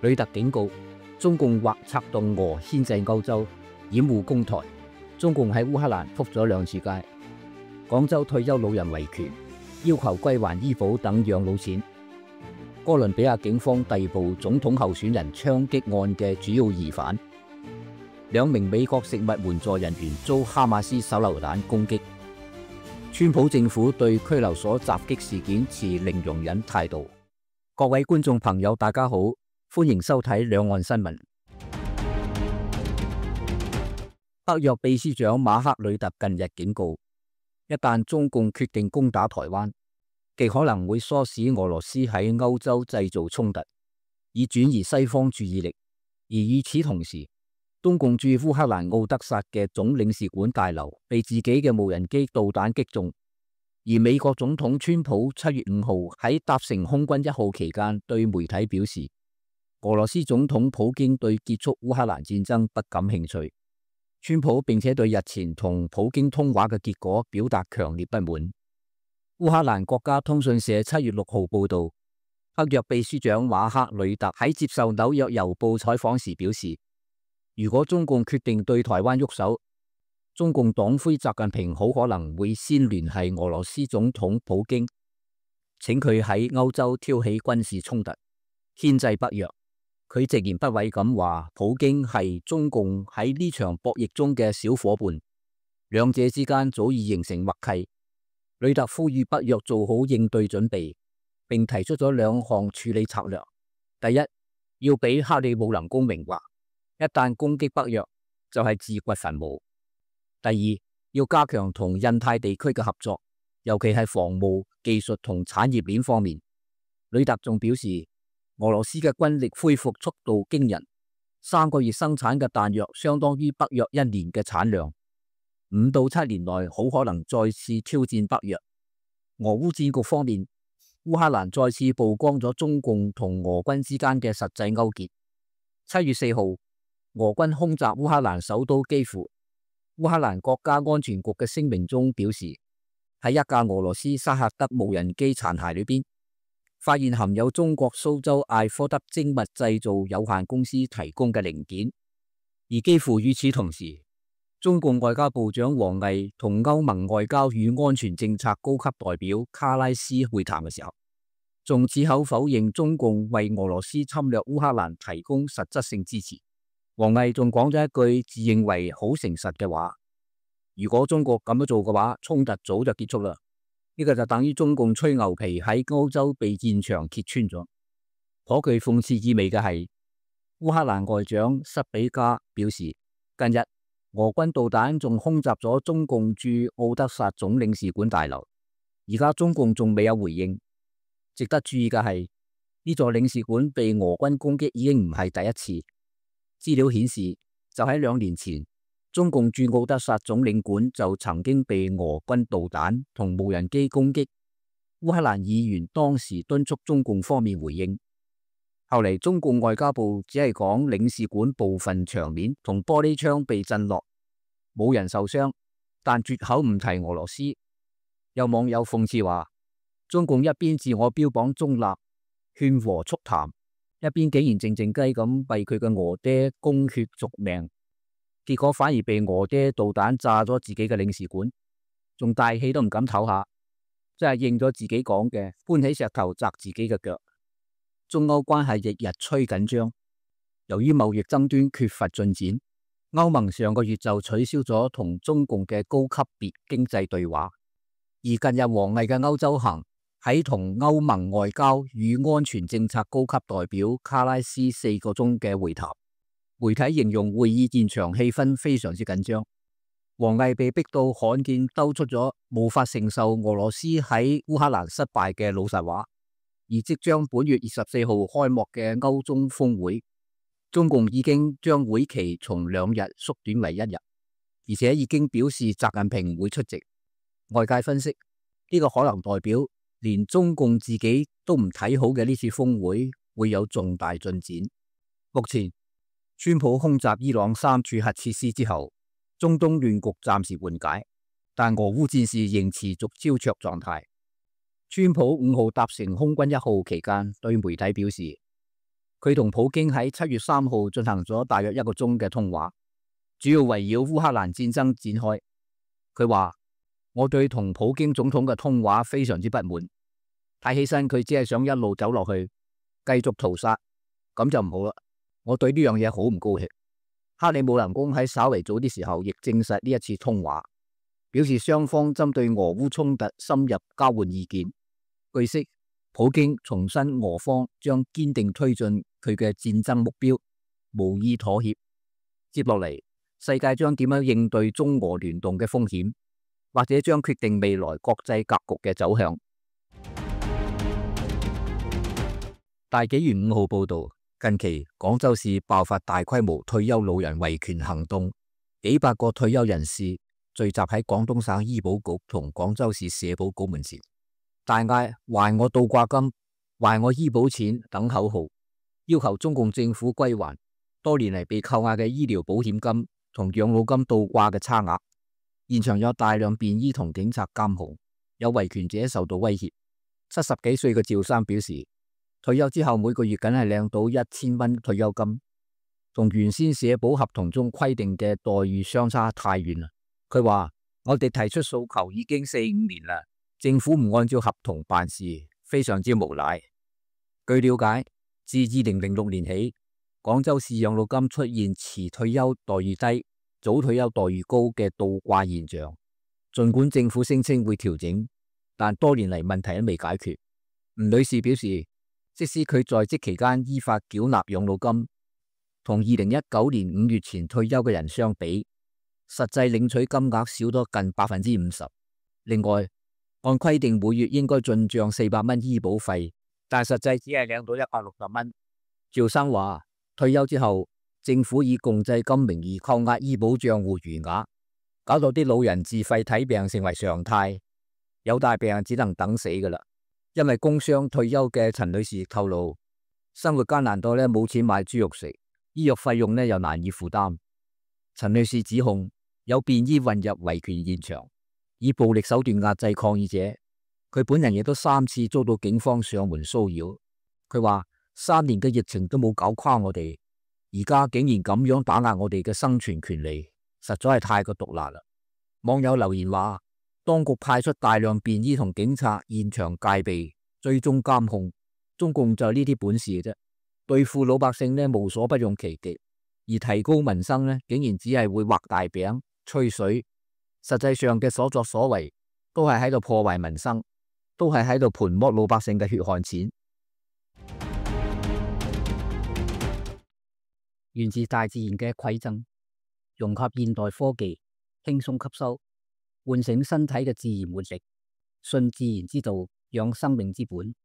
呂特警告，中共或策動俄牽制歐洲，掩護攻台。中共喺烏克蘭覆咗2次街。廣州退休老人維權，要求歸還醫保等養老錢。哥倫比亞警方逮捕總統候選人槍擊案嘅主要疑犯。2名美國食物援助人員遭哈馬斯手榴彈攻擊。川普政府對拘留所襲擊事件持零容忍態度。各位觀眾朋友，大家好，歡迎收睇兩岸新聞。北約秘書長馬克呂特近日警告，一旦中共決定攻打台灣，極可能會唆使俄羅斯喺歐洲製造衝突，以轉移西方注意力。而與此同時，中共駐烏克蘭奧德薩嘅總領事館大樓被自己嘅無人機導彈擊中。而美國總統川普7月5號喺搭乘空軍1號期間對媒體表示，俄羅斯總統普京對結束烏克蘭戰爭不感興趣。川普並且對日前同普京通話嘅結果表達強烈不滿。烏克蘭國家通訊社7月6號報道，北約秘書長馬克呂特喺接受紐約郵報採訪時表示，如果中共決定對台灣喐手，中共黨魁習近平好可能會先聯繫俄羅斯總統普京，請佢喺歐洲挑起軍事衝突，牽制北約。佢直言不諱咁話，普京係中共喺呢場博弈中嘅小伙伴，兩者之間早已形成默契。呂特呼籲北約做好應對準備，並提出咗2項處理策略。第一，要俾克里姆林宮明話，一旦攻擊北約，就係自掘墳墓。第二，要加強同印太地區嘅合作，尤其係防務、技術同產業鏈方面。呂特仲表示，俄羅斯嘅軍力恢復速度驚人，3個月生產嘅彈藥相當於北約1年嘅產量，5到7年內好可能再次挑戰北約。俄烏戰局方面，烏克蘭再次曝光咗中共同俄軍之間嘅實際勾結。7月4號，俄軍空襲烏克蘭首都基輔。烏克蘭國家安全局嘅聲明中表示，喺一架俄羅斯沙赫德無人機殘骸裏邊，發現含有中國蘇州艾科德精密製造有限公司提供嘅零件。而幾乎與此同時，中共外交部長王毅同歐盟外交與安全政策高級代表卡拉斯會談嘅時候，仲矢口否認中共為俄羅斯侵略烏克蘭提供實質性支持。王毅仲講咗一句自認為好誠實嘅話，如果中國咁樣做嘅話，衝突早就結束啦。呢個就等於中共吹牛皮喺歐洲被戰場揭穿咗。頗具諷刺意味嘅係，烏克蘭外長塞比加表示，近日俄軍導彈仲空襲咗中共駐奧德薩總領事館大樓，而家中共仲未有回應。值得注意嘅係，呢座領事館被俄軍攻擊已經唔係第一次。資料顯示，就喺2年前，中共駐奧德薩總領館就曾經被俄軍導彈同無人機攻擊。烏克蘭議員當時敦促中共方面回應，後嚟中共外交部只係講領事館部分牆面同玻璃窗被震落，冇人受傷，但絕口唔提俄羅斯。有網友諷刺話，中共一邊自我標榜中立、勸和促談，一邊竟然靜靜雞咁為佢嘅俄爹供血續命，結果反而被俄爹導彈炸咗自己嘅領事館，仲大氣都唔敢唞下，真係應咗自己講嘅，搬起石頭砸自己嘅腳。中歐關係日日趨緊張，由於貿易爭端缺乏進展，歐盟上個月就取消咗同中共嘅高級別經濟對話。而近日王毅嘅歐洲行喺同歐盟外交與安全政策高級代表卡拉斯4個鐘嘅會談，媒體形容會議現場氣氛非常之緊張。王毅被逼到罕見兜出咗無法承受俄羅斯喺烏克蘭失敗嘅老實話。而即將本月24號開幕嘅歐中峰會，中共已經將會期從2日縮短為1日，而且已經表示習近平會出席。外界分析，呢個可能代表連中共自己都唔睇好嘅呢次峰會會有重大進展。目前，川普空襲伊朗3處核設施之後，中東亂局暫時緩解，但俄烏戰事仍持續膠着狀態。川普5號搭乘空軍1號期間對媒體表示，佢同普京喺7月3號進行咗大約1個鐘嘅通話，主要圍繞烏克蘭戰爭展開。佢話：我對同普京總統嘅通話非常之不滿，睇起身佢只係想一路走落去，繼續屠殺，咁就唔好啦。我對呢樣嘢好唔高興。克里姆林宮喺稍為早啲時候亦證實呢一次通話，表示雙方針對俄烏衝突深入交換意見。據悉，普京重申俄方將堅定推進佢嘅戰爭目標，無意妥協。接落嚟，世界將點樣應對中俄聯動嘅風險，或者將決定未來國際格局嘅走向。大紀元5號報道，近期廣州市爆發大規模退休老人維權行動，幾百個退休人士聚集喺廣東省醫保局同廣州市社保局門前，大嗌還我倒掛金、還我醫保錢等口號，要求中共政府歸還多年嚟被扣押嘅醫療保險金同養老金倒掛嘅差額。現場有大量便衣同警察監控，有維權者受到威脅。70幾歲嘅趙生表示，退休之後每個月梗係領到1000蚊退休金，同原先社保合同中規定嘅待遇相差太遠啦。佢話：我哋提出訴求已經4、5年啦，政府唔按照合同辦事，非常之無賴。據了解，自2006年起，廣州市養老金出現遲退休待遇低、早退休待遇高嘅倒掛現象。儘管政府聲稱會調整，但多年嚟問題都未解決。吳女士表示，即使佢在職期間依法繳納養老金，同2019年5月前退休嘅人相比，實際領取金額少咗近50%。另外，按規定每月應該進賬400蚊醫保費，但實際只係領到160蚊。趙生話：退休之後，政府以共濟金名義扣押醫保賬戶餘額，搞到啲老人自費睇病成為常態，有大病只能等死噶啦。因為工傷退休嘅陳女士透露，生活艱難到冇錢買豬肉食，醫藥費用又難以負擔。陳女士指控有便衣混入維權現場，以暴力手段壓制抗議者。佢本人亦都3次遭到警方上門騷擾。佢話3年嘅疫情都冇搞垮我哋，而家竟然咁樣打壓我哋嘅生存權利，實在係太過毒辣啦。網友留言話：當局派出大量便衣同警察現場戒備、追蹤監控，中共就呢啲本事嘅啫。對付老百姓無所不用其極，而提高民生竟然只係會畫大餅、吹水。實際上嘅所作所為都係喺度破壞民生，都係喺度盤剝老百姓嘅血汗錢。源自大自然嘅饋贈，融合現代科技，輕鬆吸收，喚醒身體嘅自然活力，信自然之道，養生命之本。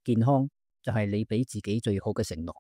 健康就係你俾自己最好嘅承諾。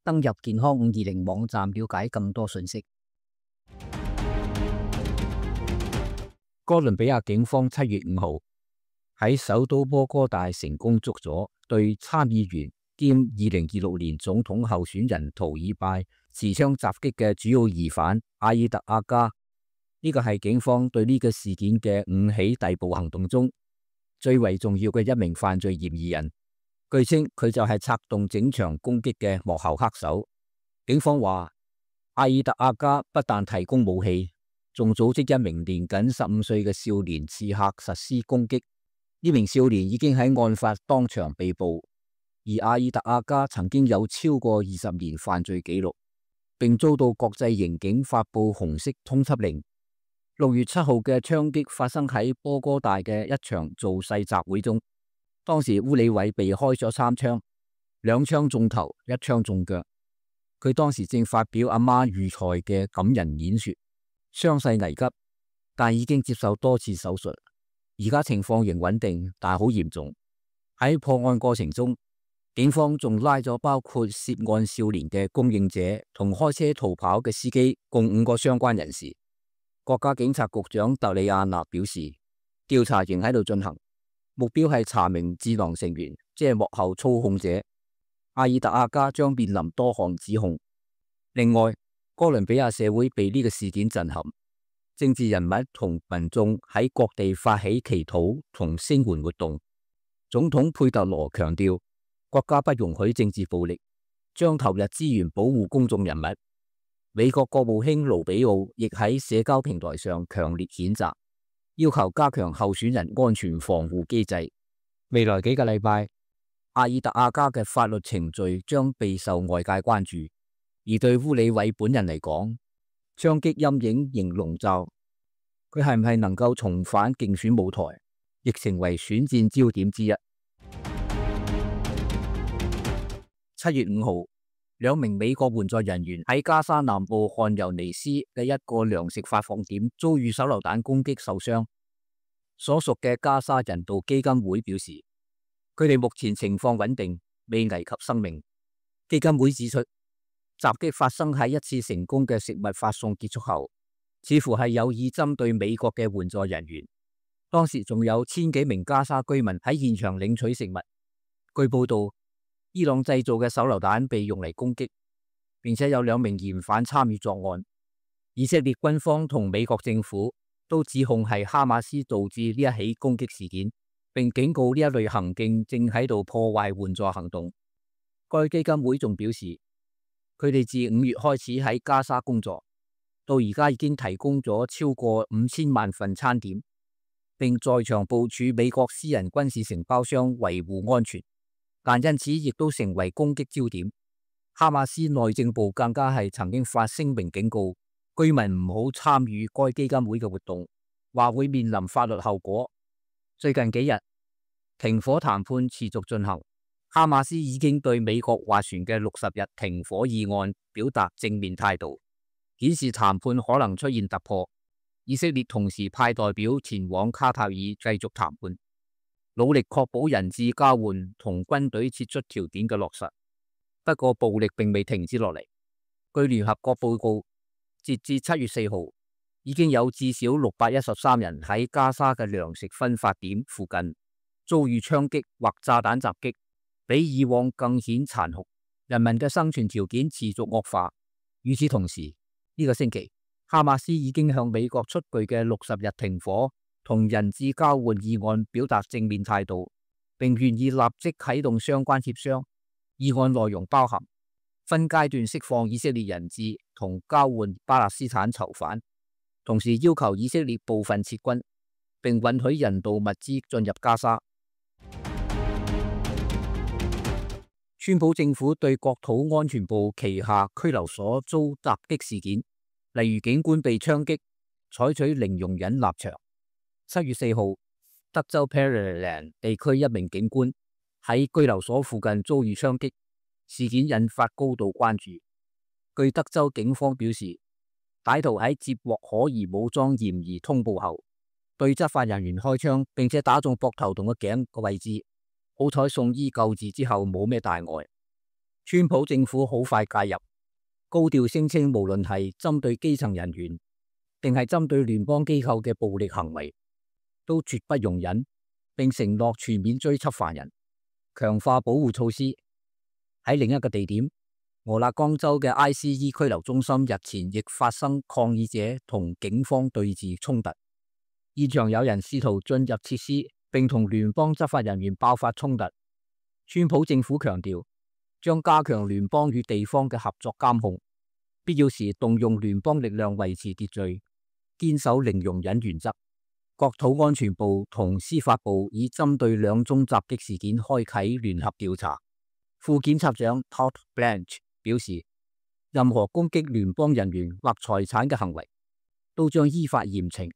登入健康520網站了解更多信息。哥倫比亞警方7月5號喺首都波哥大成功捉咗對參議員兼2026年總統候選人圖爾拜持槍襲擊嘅主要疑犯阿爾特阿加。呢個係警方對呢個事件嘅5起逮捕行動中最為重要嘅一名犯罪嫌疑人。據稱佢就係策動整場攻擊嘅幕後黑手。警方話，阿爾特阿加不但提供武器，仲組織一名年僅15歲嘅少年刺客實施攻擊。呢名少年已經喺案發當場被捕，而阿爾特阿加曾經有超過20年犯罪記錄，並遭到國際刑警發布紅色通緝令。6月7號嘅槍擊發生喺波哥大嘅一場造勢集會中，當時烏里偉被開咗3槍，2槍中頭，1槍中腳。佢當時正發表阿媽遇害嘅感人演說，傷勢危急，但已經接受多次手術，而家情況仍穩定，但好嚴重。喺破案過程中，警方仲拉咗包括涉案少年嘅供應者同開車逃跑嘅司機共5個相關人士。國家警察局長特里亞納表示，調查仍喺度進行，目標係查明智囊成員，即係幕後操控者。阿爾特阿加將面臨多項指控。另外，哥倫比亞社會被呢個事件震撼，政治人物同民眾喺各地發起祈禱同聲援活動。總統佩特羅強調，國家不容許政治暴力，將投入資源保護公眾人物。美國國務卿盧比奧亦喺社交平台上強烈譴責，要求加強候選人安全防護機制。未來幾個禮拜，阿爾特阿加嘅法律程序將備受外界關注，而對烏里韋本人嚟講，槍擊陰影仍籠罩。佢係唔係能夠重返競選舞台，亦成為選戰焦點之一。7月5號，兩名美國援助人員喺加沙南部汗尤尼斯嘅一個糧食發放點遭遇手榴彈攻擊受傷。所屬嘅加沙人道基金會表示，佢哋目前情況穩定，未危及生命。基金會指出，襲擊發生喺一次成功嘅食物發送結束後，似乎係有意針對美國嘅援助人員。當時仲有1000幾名加沙居民喺現場領取食物。據報道，伊朗製造嘅手榴彈被用嚟攻擊，並且有2名嫌犯參與作案。以色列軍方同美國政府都指控係哈馬斯導致呢一起攻擊事件，並警告呢一類行徑正喺度破壞援助行動。該基金會仲表示，佢哋自5月開始喺加沙工作，到而家已經提供咗超過5000萬份餐點，並在場部署美國私人軍事承包商維護安全。但因此亦都成為攻擊焦點。哈馬斯內政部更加係曾經發聲明警告居民唔好參與該基金會嘅活動，話會面臨法律後果。最近幾日，停火談判持續進行，哈馬斯已經對美國斡旋嘅60日停火議案表達正面態度，顯示談判可能出現突破。以色列同時派代表前往卡塔爾繼續談判，努力確保人質交換同軍隊撤出條件嘅落實。不過暴力並未停止落嚟。據聯合國報告，截至7月4號，已經有至少613人喺加沙嘅糧食分發點附近遭遇槍擊或炸彈襲擊，比以往更顯殘酷。人民嘅生存條件持續惡化。與此同時，呢個星期，哈馬斯已經向美國出具嘅60日停火同人質交換議案表達正面態度，並願意立即啟動相關協商。議案內容包含分階段釋放以色列人質同交換巴勒斯坦囚犯，同時要求以色列部分撤軍，並允許人道物資進入加沙。川普政府對國土安全部旗下拘留所遭襲擊事件，例如警官被槍擊，採取零容忍立場。7月4號，德州 Pearland 地區一名警官喺拘留所附近遭遇槍擊，事件引發高度關注。據德州警方表示，歹徒喺接獲可疑武裝嫌疑通報後，對執法人員開槍，並且打中膊頭同個頸個位置。好彩送醫救治之後冇咩大礙。川普政府好快介入，高調聲稱無論係針對基層人員定係針對聯邦機構嘅暴力行為，都絕不容忍，並承諾全面追緝犯人，強化保護措施。喺另一個地點，俄勒岡州嘅 ICE 拘留中心日前亦發生抗議者同警方對峙衝突，現場有人試圖進入設施，並同聯邦執法人員爆發衝突。川普政府強調，將加強聯邦與地方嘅合作監控，必要時動用聯邦力量維持秩序，堅守零容忍原則。國土安全部同司法部已針對2宗襲擊事件開啟聯合調查。副檢察長 Todd Blanche 表示，任何攻擊聯邦人員或財產嘅行為都將依法嚴懲。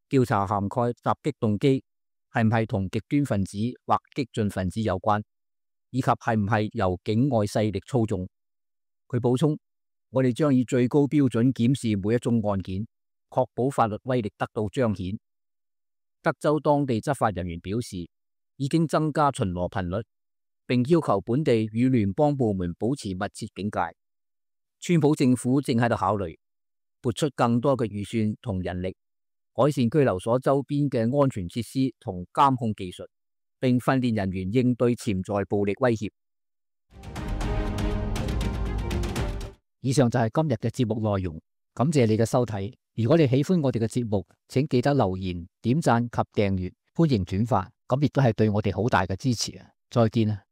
調查涵蓋襲擊動機係唔係同極端分子或激進分子有關，以及係唔係由境外勢力操縱。佢補充，我哋將以最高標準檢視每一宗案件，確保法律威力得到彰顯。德州當地執法人員表示，已經增加巡邏頻率，並要求本地與聯邦部門保持密切警戒。川普政府正喺度考慮撥出更多嘅預算同人力，改善拘留所周邊嘅安全設施同監控技術，並訓練人員應對潛在暴力威脅。以上就係今日嘅節目內容，感謝你嘅收睇。如果你喜歡我哋嘅節目，請記得留言、點讚及訂閱，歡迎轉發，咁亦都係對我哋好大嘅支持啊！再見啊！